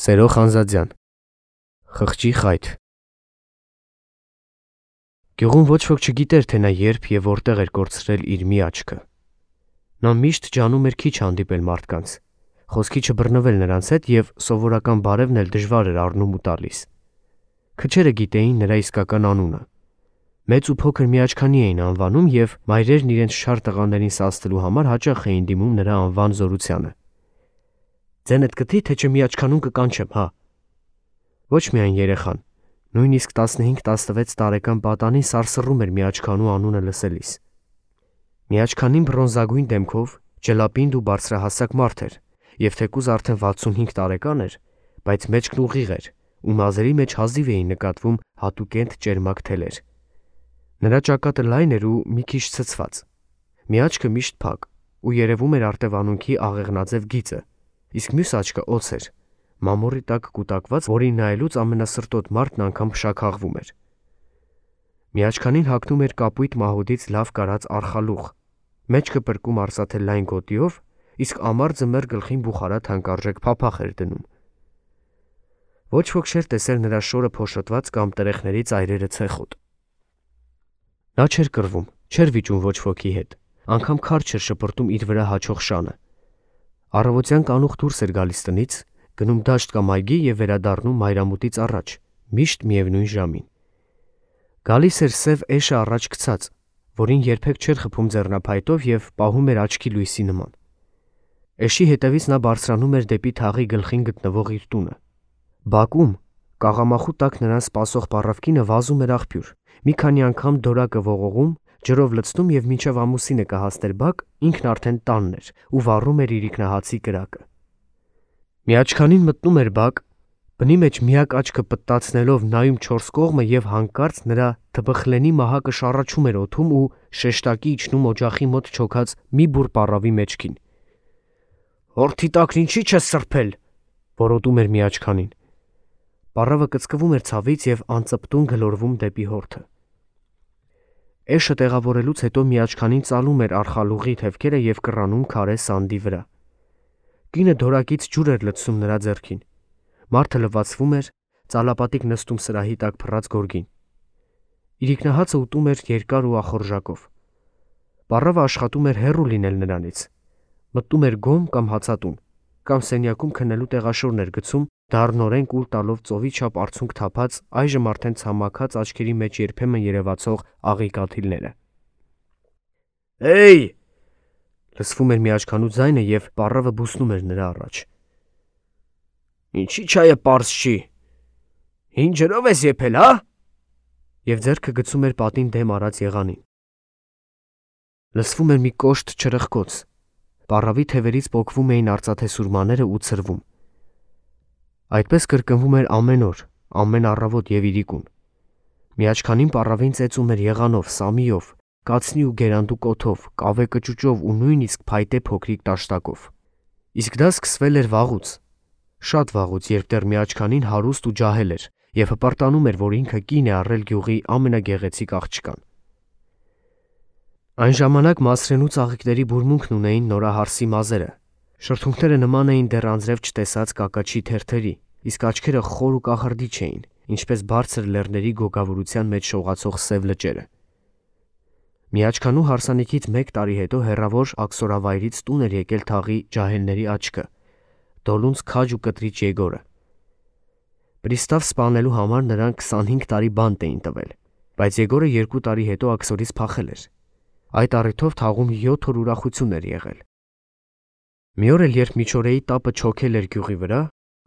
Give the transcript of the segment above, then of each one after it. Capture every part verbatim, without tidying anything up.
Սերո Խանզադյան Խղճի խայթ Գյուղում ոչ ոք չգիտեր, թե նա երբ և որտեղ էր կորցրել իր մի աչքը։ Նա միշտ ջանում էր քիչ հանդիպել մարդկանց, խոսքի չբռնվել նրանց հետ և սովորական բարևն էլ դժվար էր առնում ու տալիս։ Քչերը գիտեին նրա իսկական անունը։ Մեծ ու փոքր միաչքանի էին անվանում և մայրերն իրենց շար տղաներին սաստելու համար հաճախ էին դիմում նրա անվան զորությանը։ Ձենդ գտի, թե չմիաչքանուն կկանչեմ, հա։ Ոչ միայն երեխան, նույնիսկ տասնհինգ տասնվեց տարեկան պատանին սարսռում էր միաչքանու անունը լսելիս։ Միաչքանին բրոնզագույն դեմքով, ջլապինդ ու բարձրահասակ մարդ էր, և թեկուզ արդեն վաթսունհինգ տարեկան էր, բայց մեջքն ուղիղ էր, ու մազերի մեջ հազիվ էին նկատվում հատուկենտ ճերմակ թելեր։ Նրա ճակատը լայն էր ու մի քիչ ցցված, մի աչքը միշտ փակ, ու երևում էր արտևանունքի աղեղնաձև գիծը, իսկ մյուս աչքը օձ էր, մամուռի տակ կուտակված, որին նայելուց ամենասրտոտ մարդն անգամ փշաքաղվում էր։ Միաչքանին հագնում էր կապույտ մահուդից լավ կարած արխալուղ, մեջքը պրկում արծաթե լայն գոտիով, իսկ ամարձը մեր գլխին բուխարա թանկարժեք փափախ էր դնում։ Ոչ ոք չէր տեսել նրա շորը փոշոտված կամ տրեխների ծայրերը ցեխոտ։ Նա չէր կռվում, չէր վիճում ոչ ոքի հետ, անգամ քար չէր շպրտում իր վրա հաչող շանը։ Առավոտյան կանուխ դուրս էր գալիս տնից, գնում դաշտ կամ այգի և վերադառնում մայրամուտից առաջ, միշտ միևնույն ժամին։ Գալիս էր սև էշը առաջ գցած, որին երբեք չէր խփում ձեռնափայտով և պահում էր աչքի լույսի նման։ Էշի հետևից նա բարձրանում էր դեպի թաղի գլխին գտնվող իր տունը։ Բակում, կաղամախու տակ նրան սպասող պառավկինը վազում էր աղբյուր, մի քանի անգամ դորակը ողողում, ջրով լցնում և մինչև ամուսինը կհասներ բակ, ինքն արդեն տանն էր ու վառում էր իրիկնահացի կրակը։ Միաչքանին մտնում էր բակ, բնի մեջ միակ աչքը պտտացնելով նայում չորս կողմը և հանկարծ նրա թբխլենի մահակը շառաչում էր օդում ու շեշտակի իջնում օջախի մոտ չոքած մի բուռ պառավի մեջքին։ «Հորթի տակն ինչի չես սրբել», որոտում էր միաչքանին։ Պառավը կծկվում էր ցավից և անծպտուն գլորվում դեպի հորթը։ Էշը տեղավորելուց հետո միաչքանին ծալում էր արխալուղի թևքերը և կռանում քարե սանդի վրա։ Կինը դորակից ջուր էր լցնում նրա ձեռքին։ Մարդը լվացվում էր, ծալապատիկ նստում սրահի տակ փռած գորգին։ Իրիկնահացը ուտում էր երկար ու ախորժակով։ Պառավը աշխատում էր հեռու լինել նրանից։ Մտնում էր գոմ կամ հացատուն, կամ սենյակում քնելու տեղաշորն էր գցում, դառնորեն կուլ տալով ծովի չափ արցունք թափած, այժմ արդեն ցամաքած աչքերի մեջ երբեմն երևացող աղի կաթիլները։ «Հեյ», լսվում էր միաչքանու ձայնը և պառավը բուսնում էր նրա առաջ։ «Ինչի չայը պարզ չի։ Հին ջրով ես եփել, հա»։ Եվ ձեռքը գցում էր պատին դեմ արած եղանին։ Լսվում էր մի կոշտ չրխկոց։ Պառավի թևերից պոկվում էին արծաթե սուրմաները ու ցրվում։ Այդպես կրկնվում էր ամեն օր, ամեն առավոտ և իրիկուն։ Միաչքանին պառավին ծեծում էր եղանով, սամիով, կացնի ու գերանդու կոթով, կավե կճուճով ու նույնիսկ փայտե փոքրիկ տաշտակով։ Իսկ դա սկսվել էր վաղուց, շատ վաղուց, երբ դեռ միաչքանին հարուստ ու ջահել էր և հպարտանում էր, որ ինքը կին է առել գյուղի ամենագեղեցիկ աղջկան։ Այն ժամանակ Մասրենու ծաղիկների բուրմունքն ունեին նորահարսի մազերը, շրթունքները նման էին դեռ անձրև չտեսած կակաչի թերթերի, իսկ աչքերը խոր ու կախարդիչ էին, ինչպես բարձր լեռների գոգավորության մեջ շողացող սև լճերը։ Միաչքանու հարսանիքից մեկ տարի հետո հեռավոր աքսորավայրից տուն էր եկել թաղի ջահելների աչքը, Դոլունց քաջ ու կտրիչ Եգորը։ Պրիստավ սպանելու համար նրան քսանհինգ տարի բանտ էին տվել, բայց Եգորը երկու տարի հետո աքսորից փախել էր։ Այդ առիթով թաղում յոթ օր ուրախություն էր եղել։ Մի օր էլ, երբ միջօրեի տապը չոքել էր գյուղի վրա,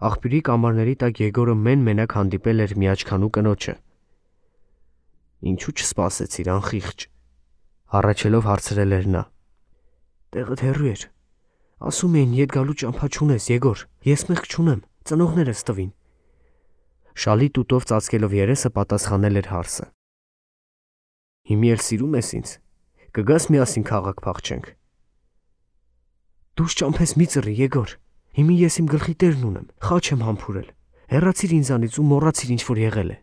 աղբյուրի կամարների տակ Եգորը մեն-մենակ հանդիպել էր միաչքանու կնոջը։ «Ինչու չսպասեցիր, անխիղճ», հառաչելով հարցրել էր նա։ «Տեղդ հեռու էր։ Ասում էին, ետ գալու ճամփա չունես, Եգոր, ես մեղք չունեմ, ծնողներս տվին»։ Շալի տուտով ծածկելով երեսը պատասխանել էր հարսը։ «Հիմի էլ սիրում ես ինձ, կգաս միասին քաղաք փախչենք»։ «Դուս ճամփես մի ծռի, Եգոր, հիմի ես իմ գլխի տերն ունեմ, խաչ եմ համբուրել, հեռացիր ինձանից ու մոռացիր ինչ որ եղել է»։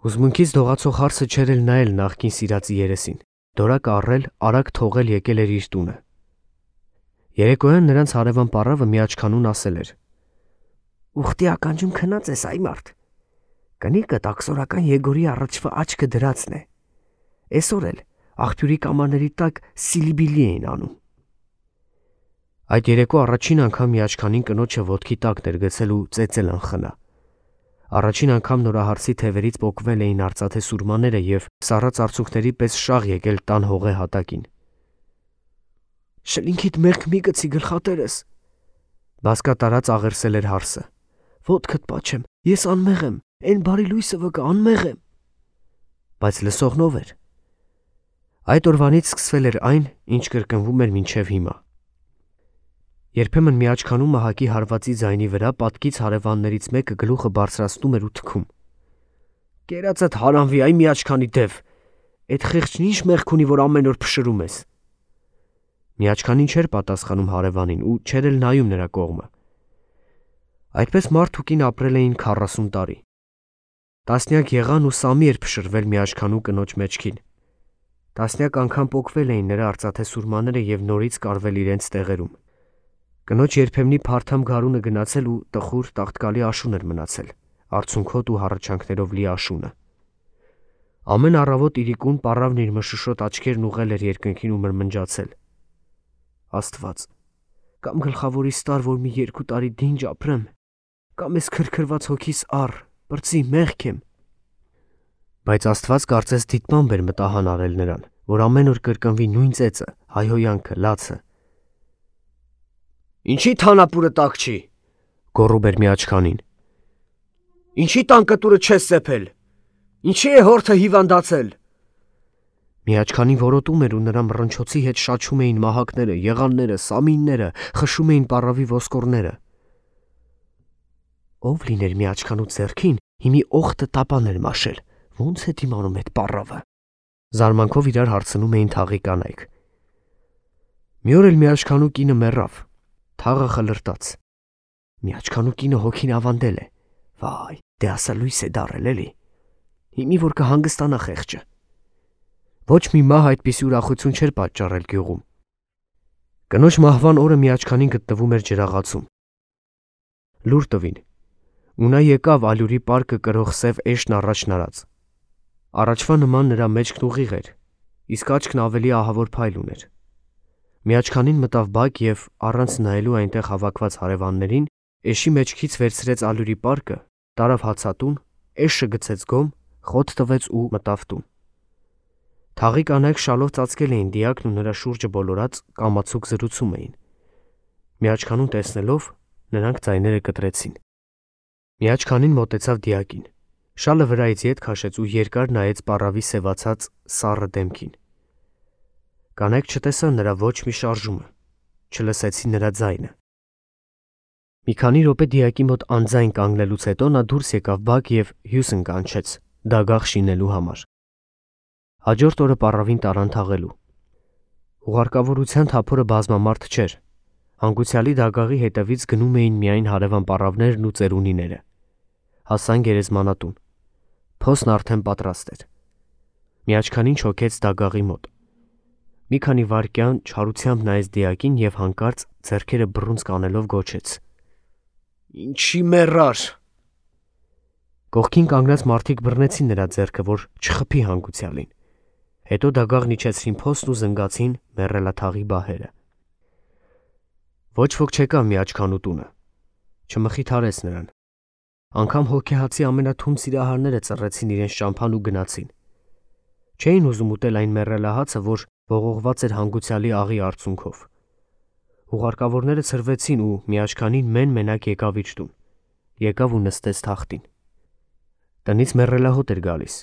Հուզմունքից դողացող հարսը չէր էլ նայել նախկին սիրածի երեսին, դորակը առել, արագ թողել եկել էր իր տունը։ Երեկոյան նրանց հարևան պառավը միաչքանուն ասել էր. Ուխտի ականջում քնած ես այ մարդ։ Կնիկը տաքսորական Եգորի առաջվա աչքը դրածն է։ Այսօր էլ աղբյուրի կամարների տակ սիլիբիլի էին անում։ Այդ երեկո առաջին անգամ Միաչքանին կնոջը ոտքի տակ ներգցել ու ծեծել անխնա։ Առաջին անգամ նորահարսի թևերից պոկվել էին արծաթե սուրմաները և սառած արցունքների պես շաղ եկել տան հողե հատակին։ Շլինքիդ մեղք մի գցի գլխատերս, բասկա տարած աղերսել էր հարսը։ Ոտքդ պաչեմ, ես անմեղ եմ, այն բարի լույսը վկա անմեղ եմ։ Բայց լսողնով էր։ Այդ օրվանից սկսվել էր այն, ինչ կրկնվում էր մինչև հիմա։ Երբեմն Միաչքանում Մահակի հարվածի ձայնի վրա պատկից հարևաններից մեկը գլուխը բարձրացնում էր ու թքում. «Կերածդ հարանվի, այ Միաչքանի դև, այդ խեղճն ինչ մեղք ունի, որ ամեն օր փշրում ես»։ Միաչքանին չէր պատասխանում հարևանին ու չէր էլ նայում նրա կողմը։ Այդպես մարդ ու կին ապրել էին քառասուն տարի։ Տասնյակ եղան ու սամի էր փշրվել Միաչքանու կնոջ մեջքին։ Տասնյակ անգամ պոկվել էին նրա արծաթե սուրմաները և նորից կարվել իրենց տեղերում։ Կնոջ երբեմնի փարթամ գարունը գնացել ու տխուր տաղտկալի աշուն էր մնացել, արցունքոտ ու հառաչանքներով լի աշունը։ Ամեն առավոտ իրիկուն պառավն իր մշուշոտ աչքերն ուղղել էր երկնքին ու մրմնջացել. Աստված, կամ գլխավորիս տար, որ մի երկու տարի դինջ ապրեմ, կամ ես քրքրված հոգիս առ, պրծի մեղք եմ։ Բայց Աստված կարծես դիտմամբ էր մտահան արել նրան, որ ամեն օր կրկնվի նույն ծեծը, հայհոյանքը, լացը։ Ինչի թանապուրը տակ չի, գոռում էր Միաչքանին։ Ինչի տան կտուրը չես սեփել, ինչի է հորթը հիվանդացել։ Միաչքանին որոտում էր ու նրա մռնչոցի հետ շաչում էին մահակները, եղանները, սամինները, խշում էին պառավի ոսկորները։ Ով լիներ Միաչքանու ձեռքին, հիմի օխտը տապան էր մաշել, ոնց է դիմանում այդ պառավը։ Զարմանքով իրար հարցնում էին թաղի կանայք։ Մի օր էլ Միաչքանու կինը մեռավ, թաղը խլրտաց։ Միաչքանու կինը հոգին ավանդել է։ Վայ, դե ասա լույս է դարել էլի։ Հիմի որ կհանգստանա խեղճը։ Ոչ մի մահ այդպիսի ուրախություն չէր պատճառել գյուղում։ Կնոջ մահվան օրը Միաչքանին գտնվում էր ջրաղացում։ Լուր տվին, ու նա եկավ ալյուրի պարկը կրող սև էշն առաջ նարած։ Առաջվա նման նրա մեջքն ուղիղ էր, իսկ աչքն ավելի ահավոր փայլ ուներ։ Միաչքանին մտավ բակ և առանց նայելու այնտեղ հավաքված հարևաններին, էշի մեջքից վերցրեց ալյուրի պարկը, տարավ հացատուն, էշը գցեց գոմ, խոտ տվեց ու մտավ տուն։ Թաղի կանայք շալով ծածկել էին դիակն ու նրա շուրջը բոլորած կամացուկ զրուցում էին։ Միաչքանուն տեսնելով, նրանք ձայները կտրեցին։ Միաչքանին մոտեցավ դիակին, շալը վրայից ետ քաշեց ու երկար նայեց պառավի սևացած սառը դեմքին։ Կանայք չտեսան նրա ոչ մի շարժումը, չլսեցին նրա ձայնը։ Մի քանի րոպե դիակի մոտ անձայն կանգնելուց հետո նա դուրս եկավ բակ և հյուսն կանչեց, դագաղ շինելու համար։ Հաջորդ օրը պառավին տարան թաղելու։ Ուղարկավորության թափորը բազմամարդ չէր։ Հանգուցյալի դագաղի հետևից գնում էին միայն հարևան պառավներն ու ծերունիները։ Հասան գերեզմանատուն։ Փոսն արդեն պատրաստ էր։ Միաչքանին չոքեց դագաղի մոտ։ Մի քանի վայրկյան չարությամբ նայեց դիակին և հանկարծ ձեռքերը բռունցք անելով գոչեց. Ինչի մեռար։ Կողքին կանգնած մարդիկ բռնեցին նրա ձեռքը, որ չխփի հանգուցյալին։ Հետո դագաղն իջեցրին փոսն ու զնգացին մեռելաթաղի բահերը։ Ոչ ոք չեկավ Միաչքանու տունը, չմխիթարեց նրան։ Անգամ հոգեհացի ամենաթունդ սիրահարները ծռեցին իրենց ճամփան ու գնացին։ Չէին ուզում ուտել այն մեռելահացը, որ ողողված էր հանգուցյալի աղի արցունքով։ Ուղարկավորները ցրվեցին ու Միաչքանին մեն-մենակ եկավ իր տուն, եկավ ու նստեց թախտին։ Տնից մեռելահոտ էր գալիս,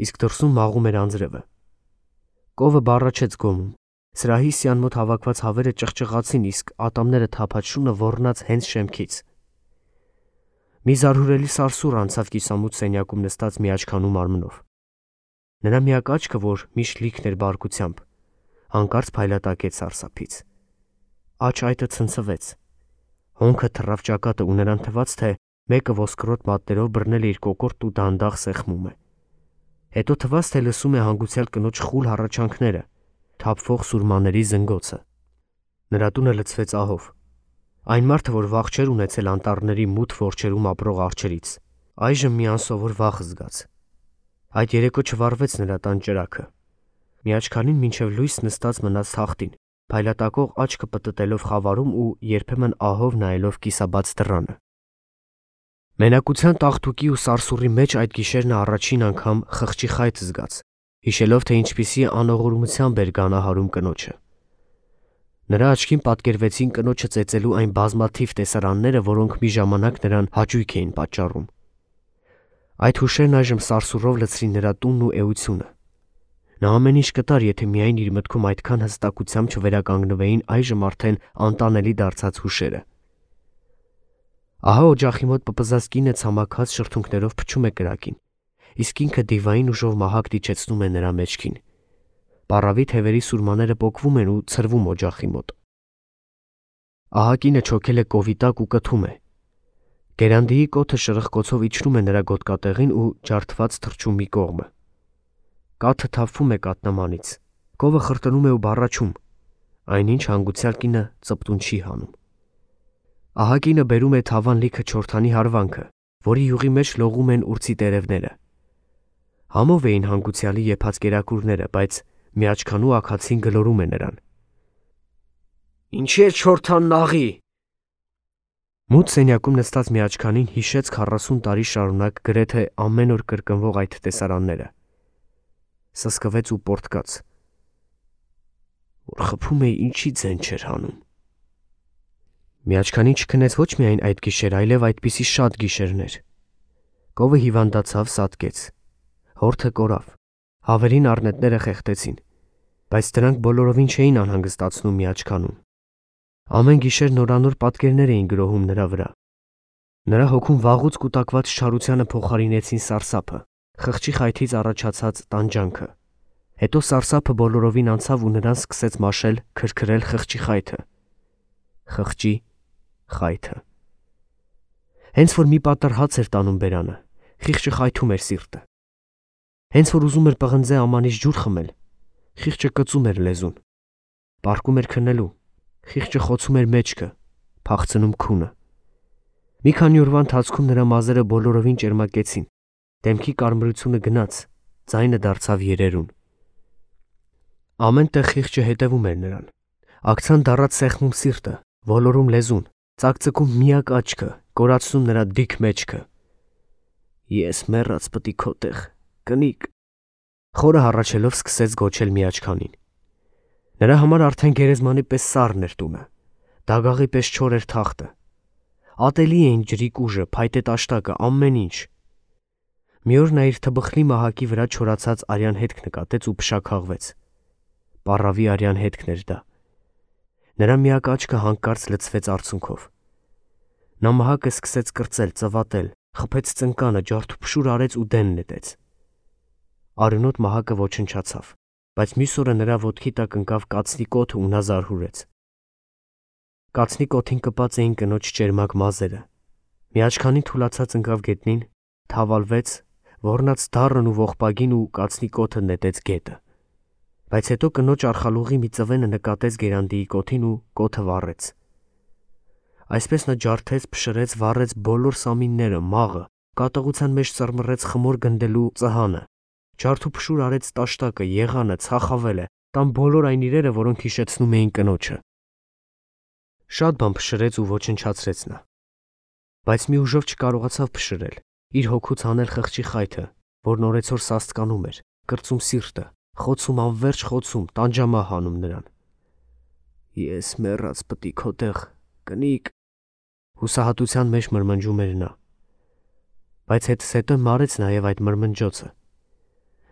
իսկ դրսում մաղում էր անձրևը։ Կովը բառաչեց գոմում, սրահի սյան մոտ հավաքված հավերը ճղճղացին, իսկ ատամները թափած շունը ոռնաց հենց շեմքից։ Մի զարհուրելի սարսուռ անցավ կիսամութ սենյակում նստած Միաչքանու մարմնով։ Նրա միակ աչքը, որ միշտ լիքն էր բարկությամբ, հանկարծ փայլատակեց սարսափից։ Աջ այտը ցնցվեց։ Հոնքը թռավ ճակատը ու նրան թվաց, թե մեկը ոսկրոտ մատներով բռնել է իր կոկորտն ու դանդաղ սեղմում է։ Հետո թվաց, թե լսում է հանգուցյալ կնոջ խուլ հառաչանքները, թափվող սուրմաների զնգոցը։ Նրա տունը լցվեց ահով։ Այն մարդը, որ վախ չէր ունեցել անտառների մութ որջերում ապրող արջերից, այժմ մի անսովոր վախ զգաց։ Այդ երեկո չվառվեց նրա տան ճրագը։ Միաչքանին մինչև լույս նստած մնաց թախտին, փայլատակող աչքը պտտելով խավարում ու երբեմն ահով նայելով կիսաբաց դռանը։ Մենակության տաղտուկի ու սարսուռի մեջ այդ գիշեր նա առաջին անգամ խղճի խայտ զգաց, հիշելով, թե ինչպիսի անողորմությամբ էր գանահարում կնոջը։ Նրա աչքին պատկերվեցին կնոջը ծեծելու այն բազմաթիվ տեսարանները, որոնք մի ժամանակ նրան հաճույք էին պատճառում։ Այդ հուշերն այժմ սարսուռով լցրին նրա տունն ու էությունը։ Նա ամեն ինչ կտար, եթե միայն իր մտքում այդքան հստակությամբ չվերականգնվեին այժմ արդեն անտանելի դարձած հուշերը։ Ահա օջախի մոտ պպզած կինը ցամաքած շրթունքներով փչում է կրակին, իսկ ինքը դիվային ուժով մահակ դիչեցնում է նրա մեջքին։ Պառավի թևերի սուրմաները պոկվում են ու ցրվում օջախի մոտ։ Ահա կինը չոքել է կովիտակ ու կթում է։ Գերանդիի կոթը շրխկոցով իջնում է նրա գոտկատեղին ու ջարդված թռչում մի կողմը։ Կաթը թափվում է կատնամանից, կովը խրտնում է ու բառաչում, այնինչ հանգուցյալ կինը ծպտուն չի հանում։ Ահա կինը բերում է թավան լիքը չորթանի հարվանքը, որի յուղի մեջ լողում են ուրցի տերևները։ Համով էին հանգուցյալի եփած կերակուրները, բայց միաչքանու աքացին գլորում է նրան։ Ինչի՞ է չորթանն աղի։ Մութ սենյակում նստած միաչքանին հիշեց քառասուն տարի շարունակ գրեթե ամեն օր կրկնվող այդ տեսարանները։ Սսկվեց ու պորտկաց։ Որ խփում էի, ինչի ձեն չէր հանում։ Միաչքանին չքնեց ոչ միայն այդ գիշեր, այլև այդպիսի շատ գիշերներ։ Կովը հիվանդացավ, սատկեց։ Հորթը կորավ, հավերին առնետները խեղդեցին, բայց դրանք բոլորովին չէին անհանգստացնում միաչքանուն։ Ամեն գիշեր նորանոր պատկերներ էին գրոհում նրա վրա։ Նրա հոգում վաղուց կուտակված չարությանը փոխարինեցին սարսափը, խղճի խայթից առաջացած տանջանքը։ Հետո սարսափը բոլորովին անցավ ու նրան սկսեց մաշել, քրքրել խղճի խայթը։ Խղճի խայթը։ Հենց որ մի պատառ հաց էր տանում բերանը, խիղճը խայթում էր սիրտը։ Հենց որ ուզում էր պղնձե ամանից ջուր խմել, խիղճը կծում էր լեզուն։ Պառկում էր քնելու, խիղճը խոցում էր մեջքը, փախցնում քունը։ Մի քանի օրվա ընթացքում նրա մազերը բոլորովին ճերմակեցին, դեմքի կարմրությունը գնաց, ձայնը դարձավ երերուն։ Ամեն տեղ խիղճը հետևում էր նրան, ակցան դառած սեղմում սիրտը, ոլորում լեզուն, ծակծկում միակ աչքը, կորացնում նրա դիք մեջքը։ Ես մեռած պտի քո տեղ, կնիկ։ Խորը հառաչելով սկսեց գոչել միաչքանին։ Նրա համար արդեն գերեզմանի պես սառն էր տունը, դագաղի պես չոր էր թախտը։ Ատելի էին ջրիկ ուժը, փայտե տաշտակը, ամեն ինչ։ Մի օր նա իր թբխլի մահակի վրա չորացած արյան հետք նկատեց ու փշաքաղվեց։ Պառավի արյան հետքն էր դա։ Նրա միակ աչքը հանկարծ լցվեց արցունքով։ Նա մահակը սկսեց կրծել, ծվատել, խփեց ծնկանը, ջարդուփշուր արեց ու դեն նետեց։ Արյունոտ մահակը ոչնչացավ, բայց մյուս օրը նրա ոտքի տակ ընկավ կացնի կոթը ու նա զարհուրեց։ Կացնի կոթին կպած էին կնոջ ճերմակ մազերը։ Միաչքանին թուլացած ընկավ գետնին, թավալվեց, ոռնաց դառն ու ողբագին ու կացնի կոթը նետեց գետը։ Բայց հետո կնոջ արխալուղի մի ծվենը նկատեց Գերանդիի կոթին ու կոթը վառեց։ Այսպես նա ջարդեց, փշրեց, վառեց բոլոր սամինները, մաղը, կատաղության մեջ ծռմռեց խմոր գնդելու ծհանը, ջարդուփշուր արեց տաշտակը, եղանը, ցախավելը, տան բոլոր այն իրերը, որոնք հիշեցնում էին կնոջը։ Շատ բան փշրեց ու ոչնչացրեց նա։ Բայց մի ուժով չկարողացավ փշրել, իր հոգուց հանել խղճի խայթը, որն օրեցօր սաստկանում էր, կրծում սիրտը, խոցում անverջ խոցում, տանջամահ հանում նրան։ Ես մեռած պտի քո տեղ, կնիկ, հուսահատության մեջ մրմնջում էր նա։ Բայց հետս հետո մարեց նաև այդ մրմնջոցը։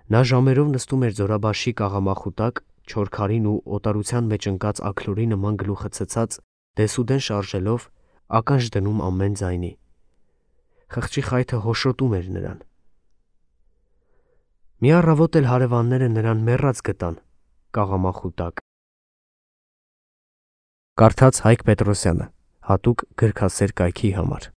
Նա ժամերով նստում էր ձորաբաշի կաղամախու տակ, չոր քարին ու օտարության մեջ ընկած աքլորի նման գլուխը ցցած, դեսուդեն շարժելով, ականջ դնում ամեն ձայնի։ Խղճի խայթը հոշոտում էր նրան։ Մի առավոտ էլ հարևանները նրան մեռած գտան կաղամախու տակ։ Կարդաց Հայկ Պետրոսյանը, հատուկ գրքասեր կայքի համար։